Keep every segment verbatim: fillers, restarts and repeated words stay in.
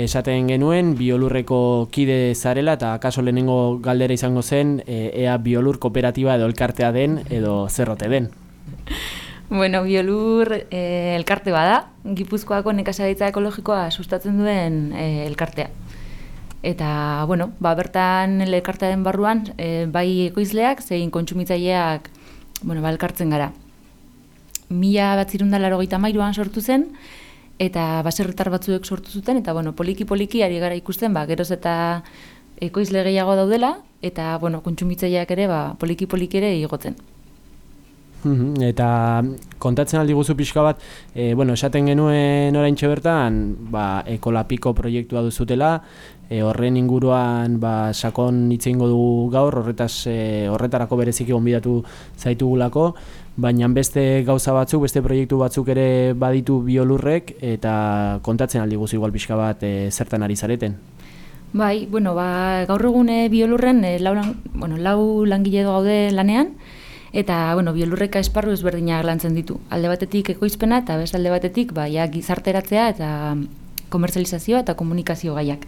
esaten genuen Biolurreko kide zarela eta akaso lehenengo galdera izango zen e, ea Biolur kooperatiba edo elkartea den edo zerrote den. Bueno, Biolur eh, elkarte bada, Gipuzkoako nekazaritza ekologikoa sustatzen duen eh, elkartea. Eta, bueno, ba, bertan elkartearen barruan eh, bai ekoizleak zein kontsumitzaileak bueno, ba, elkartzen gara. Mila batzirun da laurogeita hamairuan sortu zen, eta baserritar batzuek sortu zuten, eta bueno, poliki-poliki ari gara ikusten, ba, geroz eta ekoizle gehiago daudela, eta bueno, kontsumitzaileak ere ba, poliki-poliki ere igotzen. Eta kontatzen aldi guzu pixka bat, e, bueno, esaten genuen oraintxe bertan, ba, Ekolapiko proiektua duzutela, e, horren inguruan ba, sakon hitz egingo dugu gaur, horretaz, e, horretarako bereziki gonbidatu zaitugulako, baina beste gauza batzuk, beste proiektu batzuk ere baditu Biolurrek, eta kontatzen aldi guzu igual pixka bat e, zertan ari zareten. Bai, bueno, ba, gaur egune Biolurren e, lau, bueno, lau langile gaude lanean, eta bueno, Biolurreka esparru ezberdinak lantzen ditu. Alde batetik ekoizpena eta beste alde batetik ba, ja, gizarteratzea eta komertzializazioa eta komunikazio gaiak.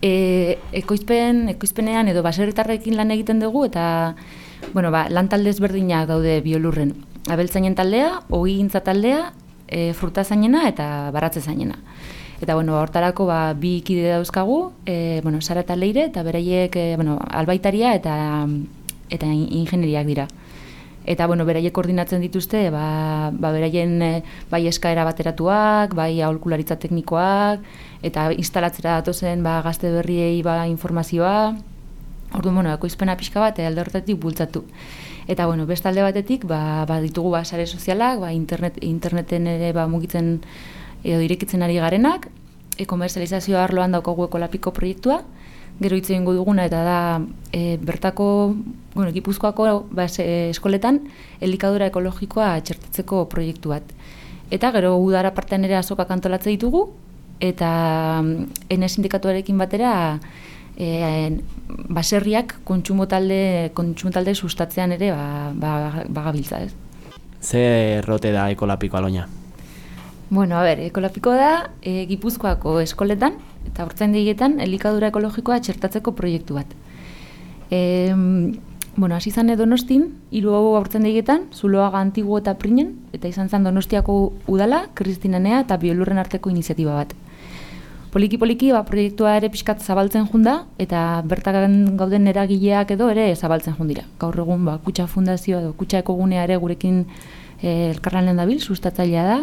E, ekoizpen, ekoizpenean edo baserritarrekin lan egiten dugu eta bueno, ba, lan talde ezberdinak daude Biolurren. Abeltzainen taldea, ogigintza taldea, e, frutazainena eta baratzezainena. Eta bueno, hortarako ba, bi kide dauzkagu, e, bueno, Sara eta Leire, eta beraiek e, bueno, albaitaria eta, eta ingenieriak dira. Eta bueno, beraiek koordinatzen dituzte, ba, ba beraien bai eskaera bateratuak, bai aholkularitza teknikoak, eta instalatzera datozen ba, gazte berriei ba, informazioa. Orduan, bueno, ekoizpena pixka bat, alde horretatik bultzatu. Eta bueno, beste alde batetik, ba, ba ditugu ba, sare sozialak, ba, internet, interneten ere ba, mugitzen edo irekitzen ari garenak, e-komerzializazio arloan daukagu Ekolapiko proiektua, gero hitz egingo duguna eta da e, bertako, bueno, Gipuzkoako ba, eskoletan elikadura ekologikoa txertatzeko proiektu bat. Eta gero udara partean ere azokak antolatze ditugu, eta Ene sindikatuarekin batera e, baserriak kontsumo talde, kontsumo talde sustatzean ere ba, ba, bagabiltza, ez? Zer rote da Ekolapiko Aloña? Bueno, a ber, Ekolapiko da e, Gipuzkoako eskoletan eta hortzaindegietan elikadura ekologikoa txertatzeko proiektu bat. E, bueno, hasi izan Donostin, hiru hortzaindegietan, Zuloaga, Antigu eta Prinen, eta izan zen Donostiako udala, Kristinanea eta Biolurren arteko iniziatiba bat. Poliki-poliki ba, proiektua ere pixkat zabaltzen junda, eta bertan gauden eragileak edo ere zabaltzen jundira. Gaur egun ba, Kutxa Fundazioa edo Kutxa Ekogunea ere gurekin e, elkarlanen dabil, sustatzailea da.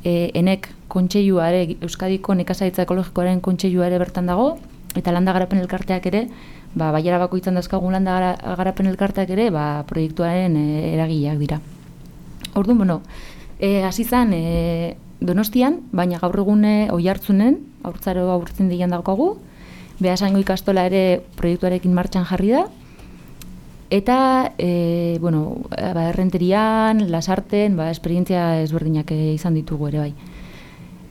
E, enek kontseilua ere, Euskadiko nekazaritza ekologikoaren kontseilua ere bertan dago, eta landa garapen elkarteak ere, ba, baiara bakoitzan dauzkagun landa garapen elkarteak ere, ba, proiektuaren e, eragileak dira. Orduan, bueno, e, hasi zen e, Donostian, baina gaur egun Oiartzunen, haurtzaro aurtzen dian daukagu, Beasaingo ikastola ere proiektuarekin martxan jarri da, eta, e, bueno, ba, Errenterian, Lasarten, ba, esperientzia ezberdinak izan ditugu ere bai.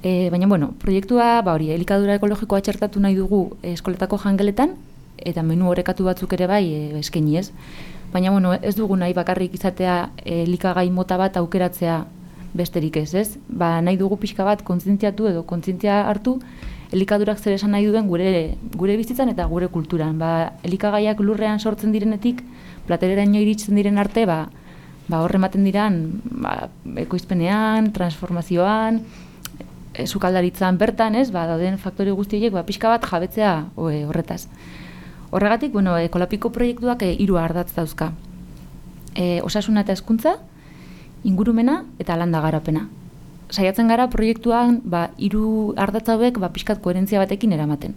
E, baina, bueno, proiektua, ba, hori, elikadura ekologikoa txertatu nahi dugu eskoletako jangeletan, eta menu orekatu batzuk ere bai e, eskaini ez. Baina, bueno, ez dugu nahi bakarrik izatea elikagai mota bat aukeratzea besterik ez, ez? Ba, nahi dugu pixka bat kontzientziatu edo kontzientzia hartu elikadurak zer esan nahi duen gure, gure bizitzan eta gure kulturan. Ba, elikagaiak lurrean sortzen direnetik, platereraino iritsen diren arte, ba, ba horre ematen diran ba, ekoizpenean, transformazioan, e, sukaldaritzan bertan, ez? Ba, dauden faktore guztiek ba, pixka bat jabetzea oe, horretaz. Horregatik, bueno, Ekolapiko proiektuak e, hiru ardatz dauzka. E, osasuna eta hezkuntza, ingurumena eta landa garapena. Saiatzen gara proiektuan ba, hiru ardatz hauek ba, pixkat koherentzia batekin eramaten.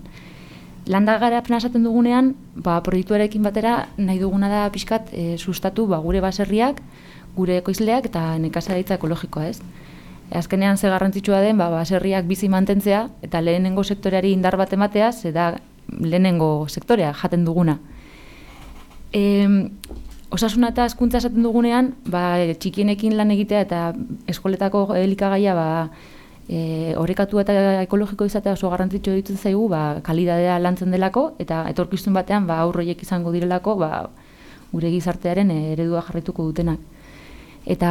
Landa garapena esaten dugunean, ba, proiektuarekin batera nahi duguna da pixkat e, sustatu ba, gure baserriak, gure ekoizleak eta nekazaritza ekologikoa, ez? E, azkenean ze garrantzitsua den ba, baserriak bizi mantentzea eta lehenengo sektoreari indar bat ematea, ze da lehenengo sektorea jaten duguna. E, Osasuna eta hezkuntza esaten dugunean, ba, txikienekin lan egitea eta eskoletako elikagaia ba, e, orekatu eta ekologiko izatea oso garrantzitsua ditzen zaigu, ba, kalidadea lantzen delako eta etorkizun batean ba, aurroiek izango direlako ba, gure gizartearen eredua jarraituko dutenak. Eta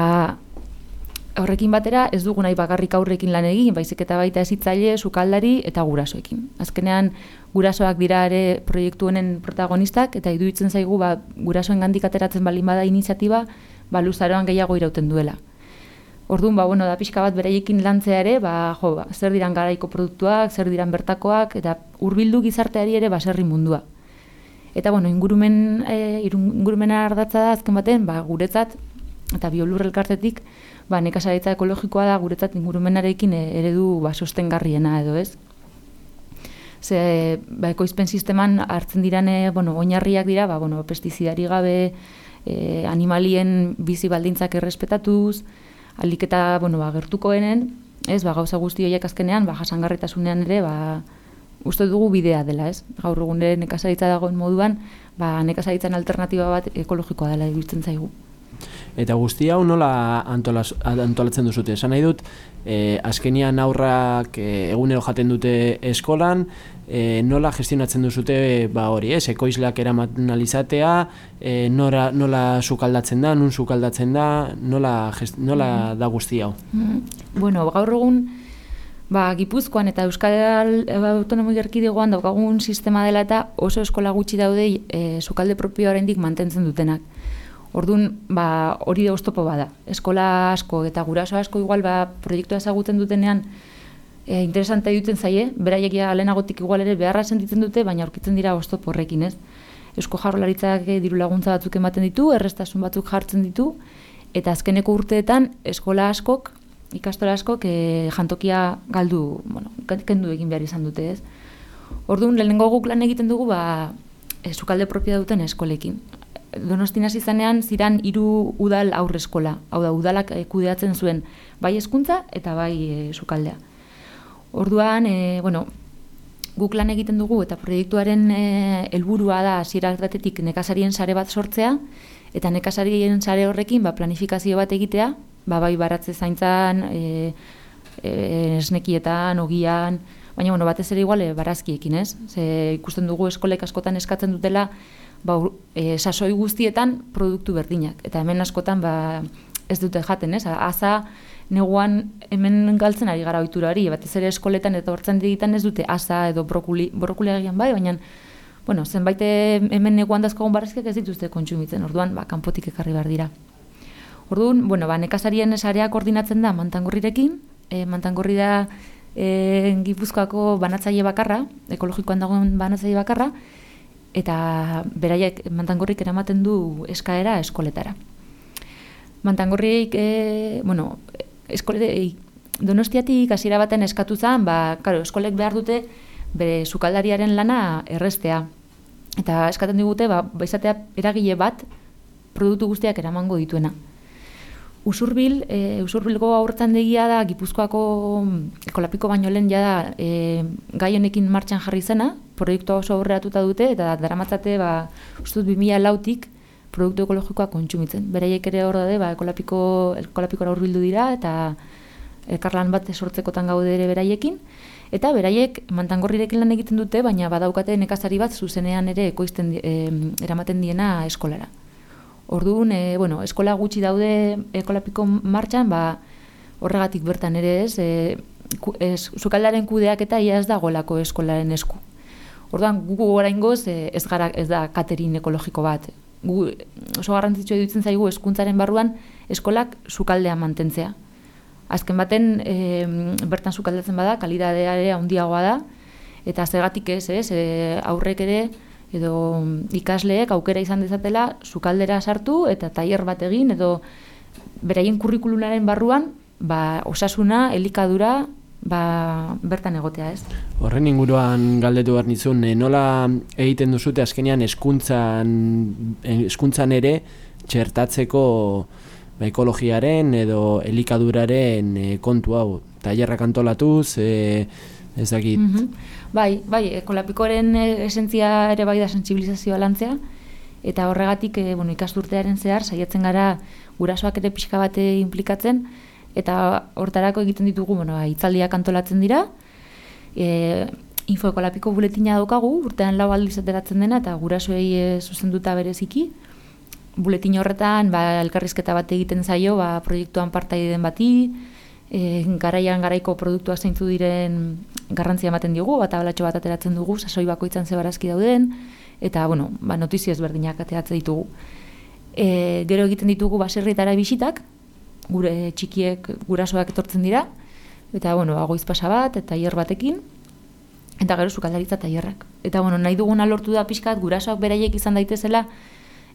horrekin batera ez dugu nahi bakarrik aurrekin lan egin, baizik eta baita hezitzaile, sukaldari eta gurasoekin. Azkenean gurasoak dira ere proiektu honen protagonistak eta iruditzen zaigu ba, gurasoengandik ateratzen baldin bada iniziatiba, ba, luzaroan gehiago irauten duela. Orduan, ba, bueno, da pixka bat beraiekin lantzea ere, ba, jo, ba, zer diran garaiko produktuak, zer diran bertakoak, eta hurbildu gizarteari ere baserri mundua. Eta, bueno, ingurumen, e, ingurumena ardatza da azken baten, ba, guretzat, eta biolur elkartetik, ba, nekazaritza ekologikoa da guretzat ingurumenarekin eredu ba, sostengarriena edo ez. Ze, ba, ekoizpen sisteman hartzen dirane, bueno, oinarriak dira, ba, bueno, pestizidari gabe, e, animalien bizi baldintzak errespetatuz, alik eta, bueno, ba, gertukoenen, ez, ba, gauza guzti horiek azkenean, ba, jasangarritasunean ere, ba, uste dugu bidea dela, ez? Gaur egun ere nekazaritza dagoen moduan, ba, nekazaritzan alternatiba bat ekologikoa dela iruditzen zaigu. Eta guzti hau nola antolaz, antolatzen duzute? Esan nahi dut, e, azkenian aurrak e, egunero jaten dute eskolan, e, nola gestionatzen duzute ba hori, ez? Ekoizleak eramaten alizatea, e, nora, nola sukaldatzen da, nun sukaldatzen da, nola, gest, nola da guzti hau? Bueno, gaur egun, ba, Gipuzkoan eta Euskal Autonomia Erkidegoan daukagun sistema dela eta oso eskola gutxi daude e, sukalde propioa oraindik mantentzen dutenak. Orduan, ba, hori da oztopo bada. Eskola asko eta guraso asko igual ba, proiektua ezagutzen dutenean e, interesante duten zaie, beraiek ja lehenagotik igual ere beharra sentitzen dute, baina aurkitzen dira oztopo horrekin, ez? Eusko Jaurlaritzak diru laguntza batzuk ematen ditu, errestasun batzuk jartzen ditu, eta azkeneko urteetan eskola askok, ikastola askok e, jantokia galdu, bueno, kendu egin behar izan dute, ez? Orduan, lehenengo guk lan egiten dugu, ba, e, sukalde propioa duten eskolekin. Donostin hasi zanean ziran hiru udal aurre eskola. Hau da, udalak e, kudeatzen zuen bai hezkuntza eta bai e, sukaldea. Orduan, e, bueno, guk lan egiten dugu eta proiektuaren e, helburua da hasiera batetik nekazarien sare bat sortzea eta nekazarien sare horrekin ba, planifikazio bat egitea, ba, bai baratze zaintzan, e, e, esnekietan, ogian, baina bueno, batez ere igual e, barazkiekin, ez? Ze ikusten dugu eskolek askotan eskatzen dutela ba, e, sasoi guztietan produktu berdinak. Eta hemen askotan ba, ez dute jaten, ez? Aza neguan hemen galtzen ari gara ohiturari, batez ere eskoletan eta hortzen digitan ez dute aza edo brokuli, brokuli egian bai, baina bueno, zenbait hemen neguan dazkogun barazkiak ez dituzte kontsumitzen, orduan ba, kanpotik ekarri behar dira. Orduan, bueno, ba, nekazarien sarea koordinatzen da Mantangorrirekin, e, Mantangorri da e, Gipuzkoako banatzaile bakarra, ekologikoan dagoen banatzaile bakarra, eta beraiek Mantangorrik eramaten du eskaera eskoletara. Mantangorrik, e, bueno, eskole, e, Donostiatik hasiera baten eskatu zen, ba, karo, eskolek behar dute bere sukaldariaren lana errestea. Eta eskaten digute, ba, izatea eragile bat produktu guztiak eramango dituena. Usurbil, e, Usurbilgo aurtzandegia da Gipuzkoako ekolapiko baino lehen jada e, gai honekin martxan jarri zena, proiektua oso aurreratuta dute eta daramatzate ba, ustut bi mila lautik produktu ekologikoa kontsumitzen. Beraiek ere hor daude, ba, ekolapiko, ekolapikora hurbildu dira eta elkarlan bat sortzekotan gaude ere beraiekin. Eta beraiek Mantangorrirekin lan egiten dute, baina badaukate nekazari bat zuzenean ere ekoizten e, eramaten diena eskolara. Orduan, e, bueno, eskola gutxi daude ekolapiko martxan, ba, horregatik bertan ere ez, e, ku, ez sukaldaren kudeak eta ia ez dagolako eskolaren esku. Orduan, gu oraingoz e, ez gara ez da katerin ekologiko bat. Gu, oso garrantzitsua iruditzen zaigu hezkuntzaren barruan eskolak sukaldea mantentzea. Azken baten, e, bertan sukaldatzen bada, kalidadea ere handiagoa da, eta zergatik ez, ez, e, aurrek ere, edo ikasleek aukera izan dezatela sukaldera sartu eta tailer bat egin edo beraien kurrikulunaren barruan ba, osasuna, elikadura ba, bertan egotea, ez? Horren inguruan galdetu behar nizun, e, nola egiten duzute azkenean hezkuntzan hezkuntzan ere txertatzeko ba, ekologiaren edo elikaduraren e, kontu hau, tailerrak antolatuz, e, ez dakit. Mm-hmm. Bai, bai, ekolapikoaren esentzia ere bai da sentsibilizazioa lantzea, eta horregatik e, bueno, ikasturtearen zehar saiatzen gara gurasoak ere pixka bate implikatzen, eta hortarako egiten ditugu, bueno, hitzaldiak antolatzen dira, e, Info Ekolapiko buletina daukagu, urtean lau aldiz ateratzen dena, eta gurasoei e, zuzenduta bereziki, buletin horretan ba, elkarrizketa bat egiten zaio ba, proiektuan partaide den bati, e, garaian garaiko produktua zeintzu diren garrantzia ematen diogu, bat abalatxo bat ateratzen dugu, sasoi bakoitzan ze barazki dauden, eta bueno, ba, notizio ezberdinak ateratzen ditugu. E, gero egiten ditugu baserrietara bisitak, gure txikiek gurasoak etortzen dira, eta bueno, ba, goiz pasa bat, eta tailer batekin, eta gero sukaldaritza tailerrak. Eta bueno, nahi duguna lortu da pixkat, gurasoak beraiek izan daitezela,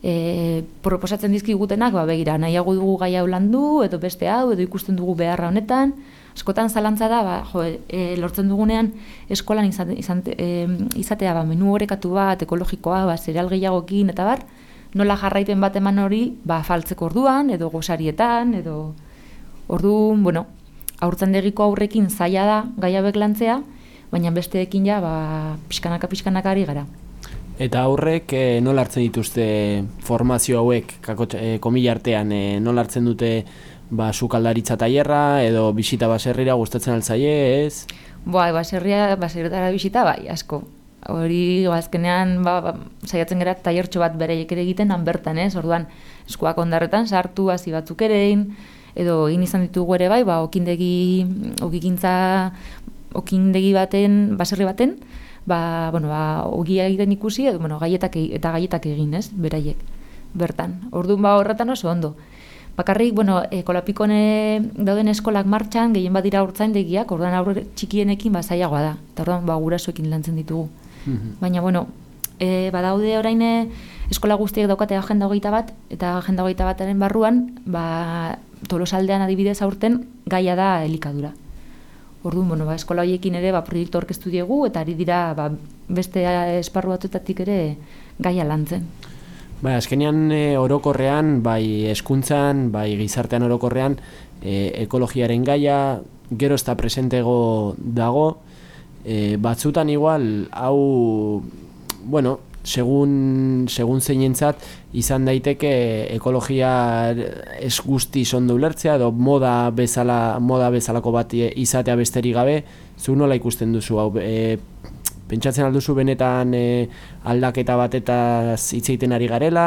e, proposatzen dizkigutenak, ba, begira, nahiago dugu gai hau landu, edo beste hau, edo ikusten dugu beharra honetan, askotan zalantza da, ba, jo, e, lortzen dugunean eskolan izan, izan, e, izatea ba, menu orekatu bat, ekologikoa, ba, zereal gehiagokin, eta bar, nola jarraipen bat eman hori, ba, faltzeko orduan, edo gosarietan, edo orduan, bueno, haurtzandegiko aurrekin zaila da gai hauek lantzea, baina besteekin ja, ba, pixkanaka pixkanaka ari gara. Eta aurrek e, nola hartzen dituzte formazio hauek, kako, e, komila artean, e, nola hartzen dute ba, sukaldaritza tailerra edo bisita baserrira gustatzen altzaie, ez? Boa, baserria, baserritara bisita, bai, asko. Hori, azkenean, ba, ba, saiatzen gara tailertxo bat bereiek ere egiten, han bertan, ez? Orduan, eskuak ondarretan sartu, hasi batzuk erein, edo egin izan ditugu ere bai, ba, okindegi, okikintza, okindegi baten, baserri baten, ba, bueno, ba, ogia egiten ikusi, edo, bueno, gaietak, eta gaietak egin, ez? Beraiek, bertan. Orduan, ba, horretan oso ondo. Bakarrik, bueno, e, Kolapikone dauden eskolak martxan, gehien badira haurtzaindegiak, orduan aurre txikienekin ba, zailagoa da. Eta orduan, ba, gurasoekin lantzen ditugu. Mm-hmm. Baina, bueno, e, badaude orain eskola guztiek daukate agenda hogeita bat, eta agenda hogeita bataren barruan, ba, Tolosaldean adibidez aurten gaia da elikadura. Orduan, bueno, ba, eskola horiekin ere ba, proiektu orkestu diegu, eta ari dira ba, beste esparru batuetatik ere gaia lantzen. Bai, azkenean e, orokorrean, bai hezkuntzan, bai gizartean orokorrean, e, ekologiaren gaia gero ez da presentego dago, e, batzutan igual, hau, bueno, segun, segun zeinentzat, izan daiteke ekologia ez guzti ondo ulertzea, edo moda bezala, moda bezalako bat izatea besterik gabe, zu nola ikusten duzu hau, e, pentsatzen alduzu benetan e, aldaketa batetaz hitz egiten ari garela,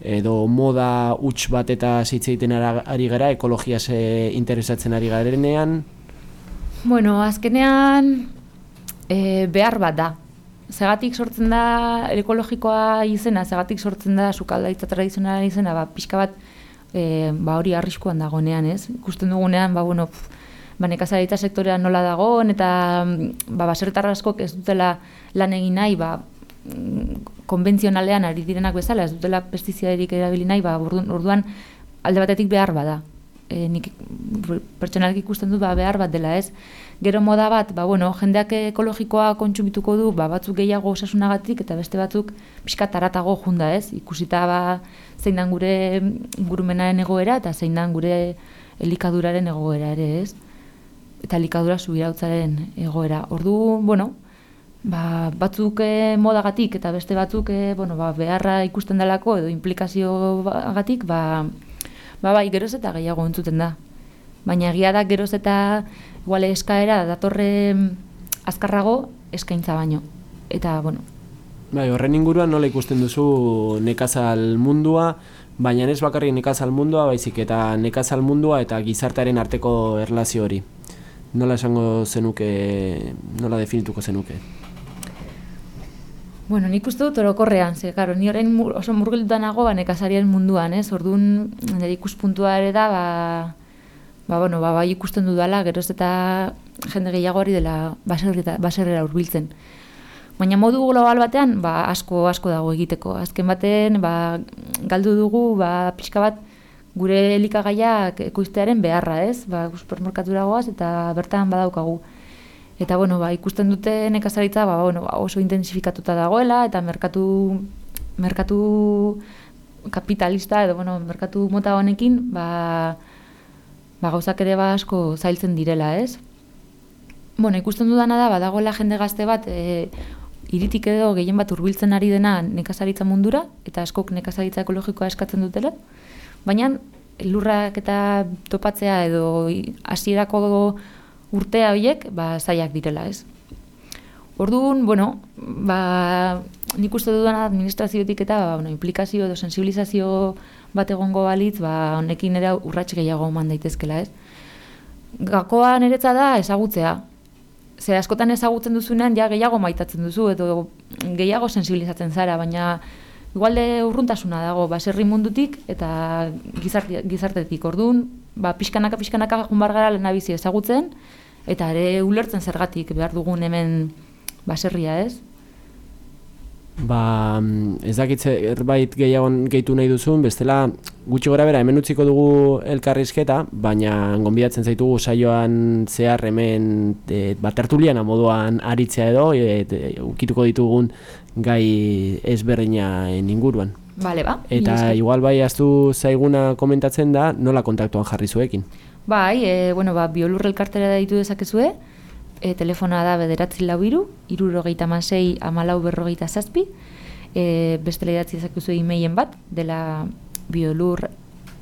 edo moda huts batetaz hitz egiten ari gara, ekologiaz e, interesatzen ari garenean? Bueno, azkenean e, behar bat da. Zegatik sortzen da ekologikoa izena, zegatik sortzen da sukaldaritza tradizionala izena, ba, pixka bat e, ba, hori arriskuan dagoenean, ez? Ikusten dugunean, ba, bueno, pff, ba, nekazaritza sektorean nola dagoen, eta ba, baserritar askok ez dutela lan egin nahi, ba, konbentzionalean ari direnak bezala, ez dutela pestizidarik erabili nahi, ba, orduan alde batetik behar bada. E, nik pertsonalki ikusten dut ba, behar bat dela, ez? Gero moda bat, ba, bueno, jendeak ekologikoa kontsumituko du, ba, batzuk gehiago osasunagatik, eta beste batzuk pixka taratago junda, ez? Ikusita ba, zein dan gure ingurumenaren egoera, eta zein dan gure elikaduraren egoera ere, ez? Eta elikadura subirautzaren egoera. Ordu, bueno, ba, batzuk e, modagatik, eta beste batzuk e, bueno, ba, beharra ikusten delako, edo implikazioagatik, ba, ba, bai, geroz eta gehiago entzuten da. Baina egia da geroz eta igual eskaera datorre azkarrago eskaintza baino. Eta, bueno. Bai, horren inguruan nola ikusten duzu nekazal mundua, baina ez bakarrik nekazal mundua, baizik eta nekazal mundua eta gizartearen arteko erlazio hori. Nola esango zenuke, nola definituko zenuke? Bueno, nik uste dut orokorrean, ze, karo, ni orain oso murgilduta nago ba, nekazarien munduan, ez? Orduan, nire ikuspuntua ere da, ba, ba, bueno, ba, bai ikusten dudala, geroz eta jende gehiago hori dela baserrera hurbiltzen. Baina modu global batean, ba, asko, asko dago egiteko. Azken baten, ba, galdu dugu, ba, pixka bat, gure elikagaiak ekoiztearen beharra, ez? Ba, supermerkatura goaz eta bertan badaukagu. Eta, bueno, ba, ikusten dute nekazaritza ba, bueno, oso intensifikatuta dagoela, eta merkatu, merkatu kapitalista, edo, bueno, merkatu mota honekin, ba, ba, gauzak ere ba asko zailtzen direla, ez? Bueno, ikusten dudana da, badagoela jende gazte bat, e, iritik edo gehien bat hurbiltzen ari dena nekazaritza mundura, eta askok nekazaritza ekologikoa eskatzen dutela, baina lurrak eta topatzea edo hasierako urtea horiek, ba, zaiak direla, ez? Orduan, bueno, ba, nik uste dudana administraziotik eta ba, bueno, implikazio edo sensibilizazio bat egongo balitz, ba, honekin ere urrats gehiago eman daitezkela, ez? Gakoa niretza da ezagutzea. Ze askotan ezagutzen duzunean ja gehiago maitatzen duzu edo gehiago sensibilizatzen zara, baina igualde urruntasuna dago baserri mundutik eta gizarte, gizartetik. Orduan, ba, pixkanaka pixkanaka junbar gara lehenabizi ezagutzen eta ere ulertzen zergatik behar dugun hemen baserria, ez? Ba, ez dakitze erbait gehiago gehitu nahi duzun, bestela gutxi gora bera hemen utziko dugu elkarrizketa, baina gonbidatzen zaitugu saioan zehar hemen e, ba, tertuliana moduan aritzea edo, e, e, ukituko ditugun gai ezberdinaen inguruan. Vale, ba. Eta igual bai aztu zaiguna komentatzen da, nola kontaktuan jarri zuekin? Bai, e, bueno, ba, biolur elkartera deitu dezakezue, e, telefona da bederatzi lau hiru, hirurogeita hamasei hamalau berrogeita zazpi, e, bestela idatzi dezakezue e-mailen bat, dela biolur,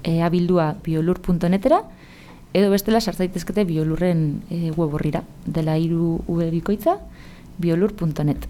e, abildua biolur punto netera, edo bestela sartzaitezkete biolurren e, web horrira, dela hiru v bikoitza, biolur punto net.